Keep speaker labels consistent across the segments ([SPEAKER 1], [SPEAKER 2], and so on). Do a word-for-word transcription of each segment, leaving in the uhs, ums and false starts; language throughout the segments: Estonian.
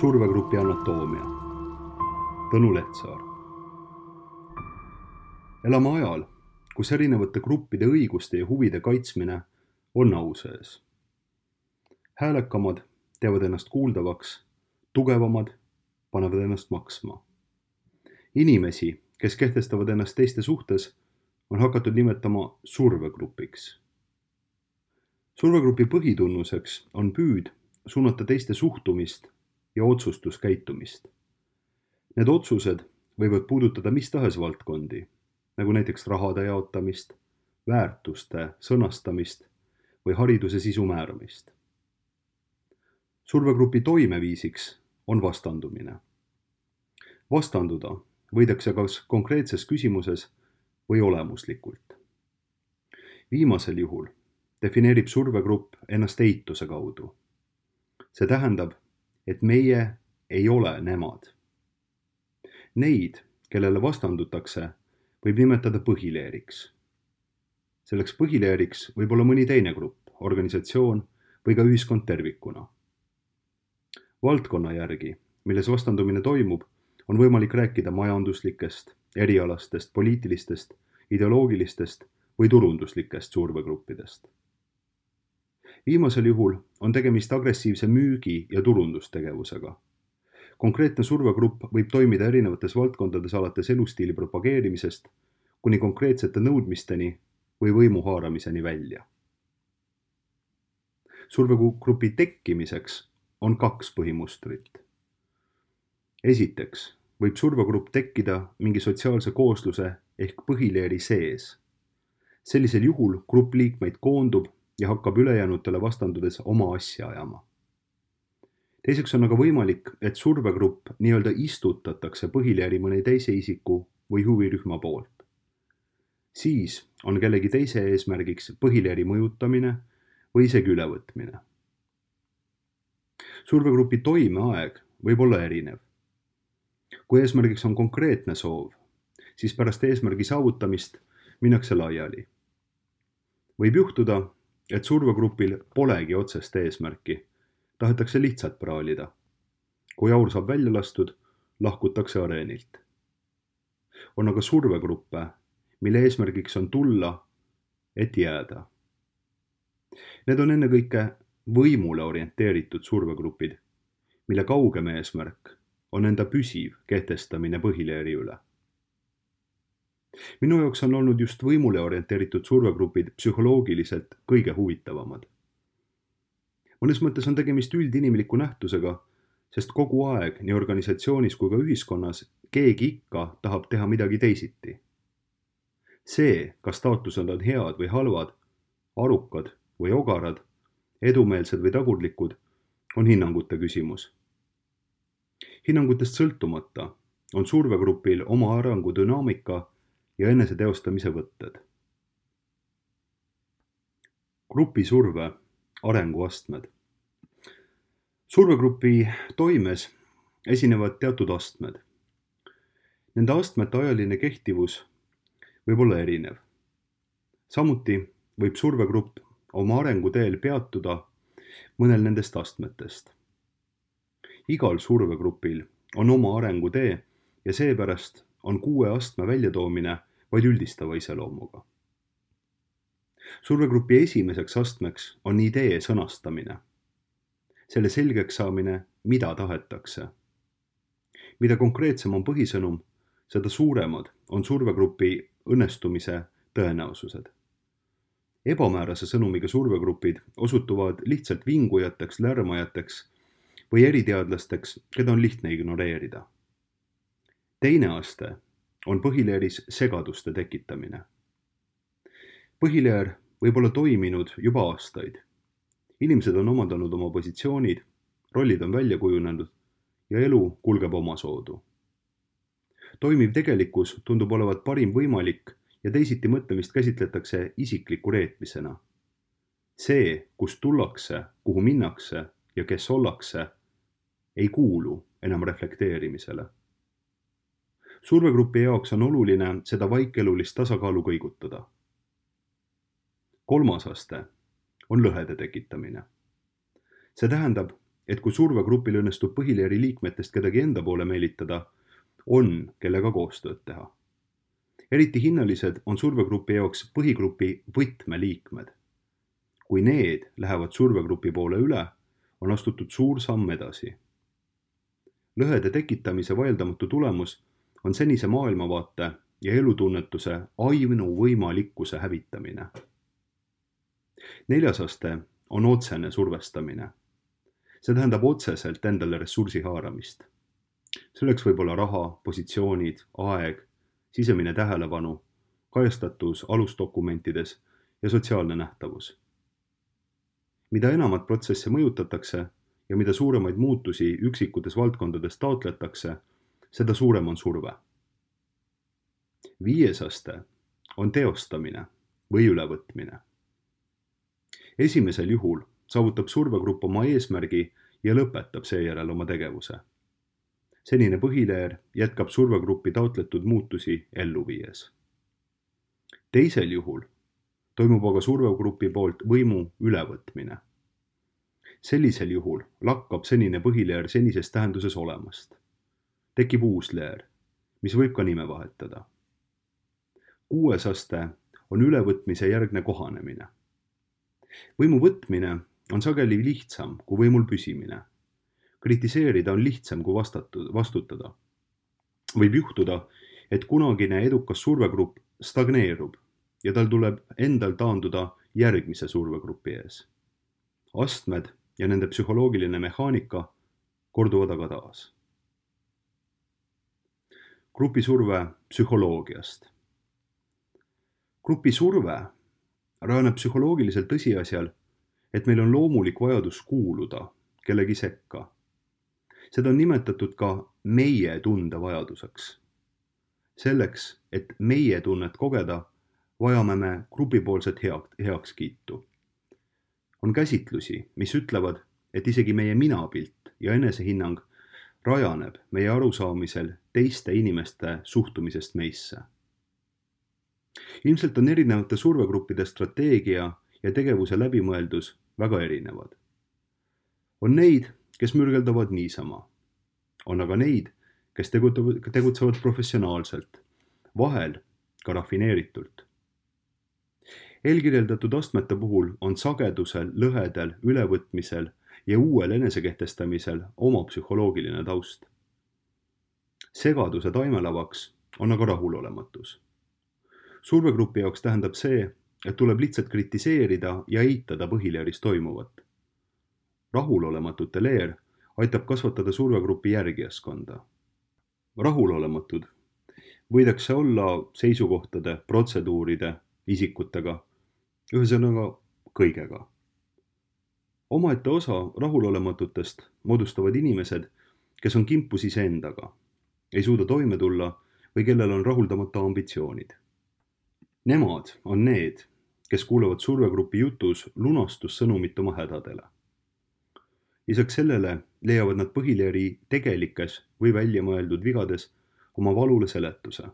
[SPEAKER 1] survegrupi anatoomia. Tõnu Lehtsaar. Elame ajal, kus erinevate gruppide õiguste ja huvide kaitsmine on au sees. Häälekamad teevad ennast kuuldavaks, tugevamad panevad ennast maksma. Inimesi, kes kehtestavad ennast teiste suhtes, on hakatud nimetama survegrupiks. Survegrupi põhitunnuseks on püüd suunata teiste suhtumist ja otsustuskäitumist. Need otsused võivad puudutada mis tahes valdkondi, nagu näiteks rahade jaotamist, väärtuste sõnastamist või hariduse sisu määramist. Survegrupi toimeviisiks on vastandumine. Vastanduda võidakse kas konkreetses küsimuses või olemuslikult. Viimasel juhul defineerib survegrupp ennast eituse kaudu. See tähendab, et meie ei ole nemad. Neid, kellele vastandutakse, võib nimetada põhileeriks. Selleks põhileeriks võib olla mõni teine grupp, organisatsioon või ka ühiskond tervikuna. Valdkonna järgi, milles vastandumine toimub, on võimalik rääkida majanduslikest, erialastest, poliitilistest, ideoloogilistest või turunduslikest survegruppidest. Viimasel juhul on tegemist agressiivse müügi- ja turundustegevusega. Konkreetne survegrupp võib toimida erinevates valdkondades alates elustiili propageerimisest kuni konkreetsete nõudmisteni või võimu haaramiseni välja. Survegrupi tekkimiseks on kaks põhimustrit. Esiteks võib survegrupp tekkida mingi sotsiaalse koosluse ehk põhileeri sees. Sellisel juhul grupp liikmeid koondub ja hakkab ülejäänutele vastandudes oma asja ajama. Teiseks on aga võimalik, et survegrupp nii-öelda istutatakse põhileeri mõne teise isiku või huvirühma poolt. Siis on kellegi teise eesmärgiks põhileeri mõjutamine või isegi ülevõtmine. Survegrupi toimeaeg võib olla erinev. Kui eesmärgiks on konkreetne soov, siis pärast eesmärgi saavutamist minnakse laiali. Võib juhtuda, et survegrupil polegi otsest eesmärki, tahetakse lihtsalt praalida. Kui aur saab välja lastud, lahkutakse areenilt. On aga survegruppe, mille eesmärgiks on tulla, et jääda. Need on ennekõike võimule orienteeritud survegrupid, mille kaugem eesmärk on enda püsiv kehtestamine põhileeri üle. Minu jaoks on olnud just võimule orienteeritud survegrupid psühholoogiliselt kõige huvitavamad. Mõnes mõttes on tegemist üldinimliku nähtusega, sest kogu aeg nii organisatsioonis kui ka ühiskonnas keegi ikka tahab teha midagi teisiti. See, kas taotlused on head või halvad, arukad või ogarad, edumeelsed või tagurlikud, on hinnangute küsimus. Hinnangutest sõltumata on survegrupil oma arengu dünaamika ja enese teostamise võtted. Grupi surve arenguastmed. Survegrupi toimes esinevad teatud astmed. Nende astmete ajaline kehtivus võib olla erinev. Samuti võib survegrupp oma arenguteel peatuda mõnel nendest astmetest. Igal survegrupil on oma arengutee ja seepärast on kuue astme väljatoomine vaid üldistava iseloomuga. Survegrupi esimeseks astmeks on idee sõnastamine. Selle selgeks saamine, mida tahetakse. Mida konkreetsem on põhisõnum, seda suuremad on survegrupi õnnestumise tõenäosused. Ebamäärase sõnumiga survegrupid osutuvad lihtsalt vingujateks, lärmajateks või eriteadlasteks, keda on lihtne ignoreerida. Teine aste on põhileeris segaduste tekitamine. Põhileer võib olla toiminud juba aastaid. Inimesed on omandanud oma positsioonid, rollid on välja kujunenud ja elu kulgeb omasoodu. Toimiv tegelikkus tundub olevat parim võimalik ja teisiti mõtlemist käsitletakse isikliku reetmisena. See, kust tullakse, kuhu minnakse ja kes ollakse, ei kuulu enam reflekteerimisele. Survegrupi jaoks on oluline seda vaikelulist tasakaalu kõigutada. Kolmas aste on lõhede tekitamine. See tähendab, et kui survegrupil õnnestub põhileeri liikmetest kedagi enda poole meelitada, on kellega koostööd teha. Eriti hinnalised on survegrupi jaoks põhigrupi võtmeliikmed. Kui need lähevad survegrupi poole üle, on astutud suur samm edasi. Lõhede tekitamise vaieldamatu tulemus on senise maailmavaate ja elutunnetuse ainuvõimalikkuse hävitamine. Neljas aste on otsene survestamine. See tähendab otseselt endale ressursi haaramist. Selleks võib olla raha, positsioonid, aeg, sisemine tähelepanu, kajastatus alusdokumentides ja sotsiaalne nähtavus. Mida enamat protsesse mõjutatakse ja mida suuremaid muutusi üksikutes valdkondades taotletakse, seda suurem on surve. Viies aste on teostamine või ülevõtmine. Esimesel juhul saavutab survegrupp oma eesmärgi ja lõpetab seejärel oma tegevuse. Senine põhileer jätkab survegruppi taotletud muutusi ellu viies. Teisel juhul toimub aga survegrupi poolt võimu ülevõtmine. Sellisel juhul lakkab senine põhileer senises tähenduses olemast. Tekib uus leer, mis võib ka nime vahetada. Kuues aste on ülevõtmise järgne kohanemine. Võimu võtmine on sageli lihtsam kui võimul püsimine. Kritiseerida on lihtsam kui vastutada. Võib juhtuda, et kunagine edukas survegrupp stagneerub ja tal tuleb endal taanduda järgmise survegrupi ees. Astmed ja nende psühholoogiline mehaanika korduvad aga taas. Grupisurve psühholoogiast. Grupisurve rajaneb psühholoogiliselt tõsiasjal, et meil on loomulik vajadus kuuluda kellegi sekka. Seda on nimetatud ka meie tunde vajaduseks. Selleks, et meie tunnet kogeda, vajame me grupipoolset heakskiitu. On käsitlusi, mis ütlevad, et isegi meie minapilt ja enesehinnang rajaneb meie arusaamisel teiste inimeste suhtumisest meisse. Ilmselt on erinevate survegruppide strateegia ja tegevuse läbimõeldus väga erinevad. On neid, kes mürgeldavad niisama. On aga neid, kes tegutsevad professionaalselt, vahel ka rafineeritult. Eelkirjeldatud astmete puhul on sagedusel, lõhedel, ülevõtmisel ja uuel enesekehtestamisel oma psühholoogiline taust. Segaduse taimelavaks on aga rahulolematus. Survegrupi jaoks tähendab see, et tuleb lihtsalt kritiseerida ja eitada põhileeris toimuvat. Rahulolematute leer aitab kasvatada survegrupi järgijaskonda. Rahulolematud võidakse olla seisukohtade, protseduuride, isikutega, ühesõnaga kõigega. Omaette osa rahulolematutest moodustavad inimesed, kes on kimpus iseendaga, ei suuda toime tulla või kellel on rahuldamata ambitsioonid. Nemad on need, kes kuulevad survegrupi jutus lunastussõnumit oma hädadele. Lisaks sellele leiavad nad põhileeri tegelikes või väljamõeldud vigades oma valule seletuse.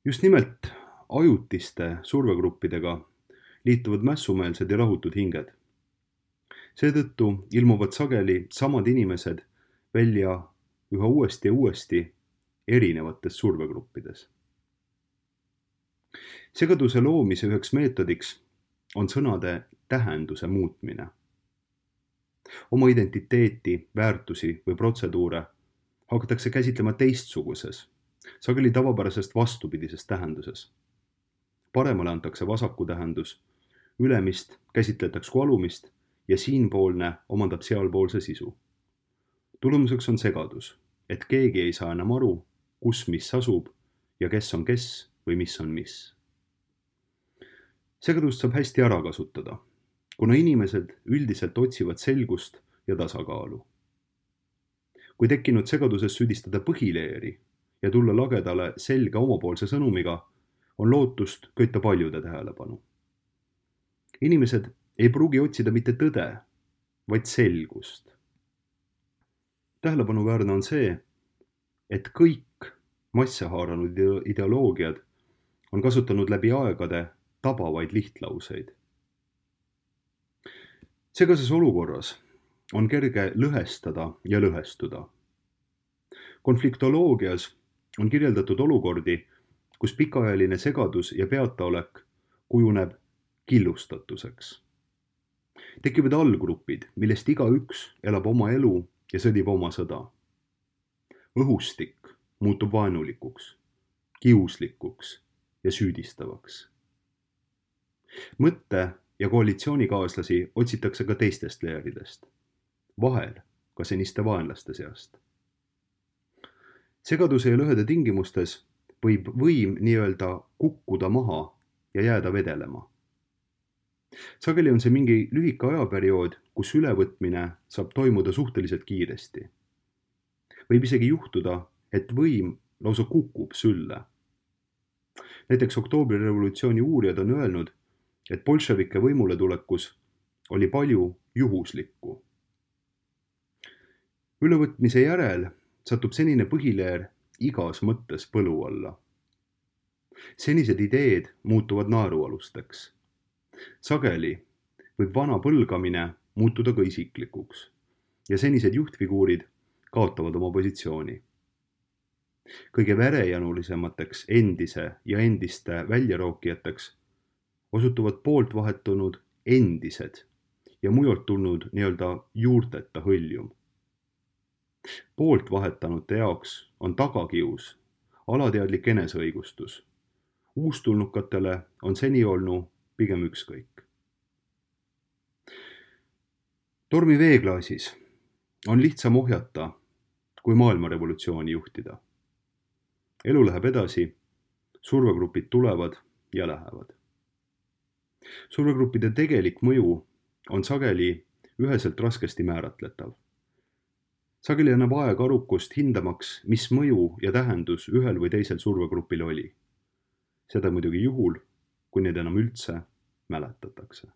[SPEAKER 1] Just nimelt ajutiste survegruppidega liituvad mässumeelsed ja rahutud hinged. Seetõttu ilmuvad sageli samad inimesed välja üha uuesti ja uuesti erinevates survegruppides. Segaduse loomise üheks meetodiks on sõnade tähenduse muutmine. Oma identiteeti, väärtusi või protseduure hakatakse käsitlema teistsuguses, sageli tavapärasest vastupidises tähenduses. Paremale antakse vasaku tähendus, ülemist käsitletakse kui alumist ja siinpoolne omandab sealpoolse sisu. Tulemuseks on segadus, et keegi ei saa enam aru, kus mis asub ja kes on kes või mis on mis. Segadust saab hästi ära kasutada, kuna inimesed üldiselt otsivad selgust ja tasakaalu. Kui tekkinud segaduses süüdistada põhileeri ja tulla lagedale selge omapoolse sõnumiga, on lootust köita paljude tähelepanu. Inimesed ei pruugi otsida mitte tõde, vaid selgust. Tähelepanuväärne on see, et kõik masse haaranud ideoloogiad on kasutanud läbi aegade tabavaid lihtlauseid. Segases olukorras on kerge lõhestada ja lõhestuda. Konfliktoloogias on kirjeldatud olukordi, kus pikaajaline segadus ja peataolek kujuneb killustatuseks. Tekivad allgrupid, millest igaüks elab oma elu ja sõdib oma sõda. Õhustik muutub vaenulikuks, kiuslikuks ja süüdistavaks. Mõtte- ja koalitsioonikaaslasi otsitakse ka teistest leeridest, vahel ka seniste vaenlaste seast. Segaduse ja lõhede tingimustes võib võim nii-öelda kukkuda maha ja jääda vedelema. Sageli on see mingi lühike ajaperiood, kus ülevõtmine saab toimuda suhteliselt kiiresti. Võib isegi juhtuda, et võim lausa kukub sülle. Näiteks oktoobrirevolutsiooni uurijad on öelnud, et bolševike võimule tulekus oli palju juhuslikku. Ülevõtmise järel satub senine põhileer igas mõttes põlu alla. Senised ideed muutuvad naerualusteks. Sageli võib vana põlgamine muutuda ka isiklikuks ja senised juhtfiguurid kaotavad oma positsiooni. Kõige verejanulisemateks endise ja endiste väljarookijateks osutuvad poolt vahetunud endised ja mujalt tulnud nii-öelda juurteta hõljum. Poolt vahetanute jaoks on tagakius, alateadlik eneseõigustus. Uustulnukatele on seni olnud pigem ükskõik. Tormi veeklaasis on lihtsam ohjata, kui maailmarevolutsiooni juhtida. Elu läheb edasi, survegrupid tulevad ja lähevad. Survegruppide tegelik mõju on sageli üheselt raskesti määratletav. Sageli annab aeg arukust hindamaks, mis mõju ja tähendus ühel või teisel survegrupil oli. Seda muidugi juhul, kui neid enam üldse mäletatakse.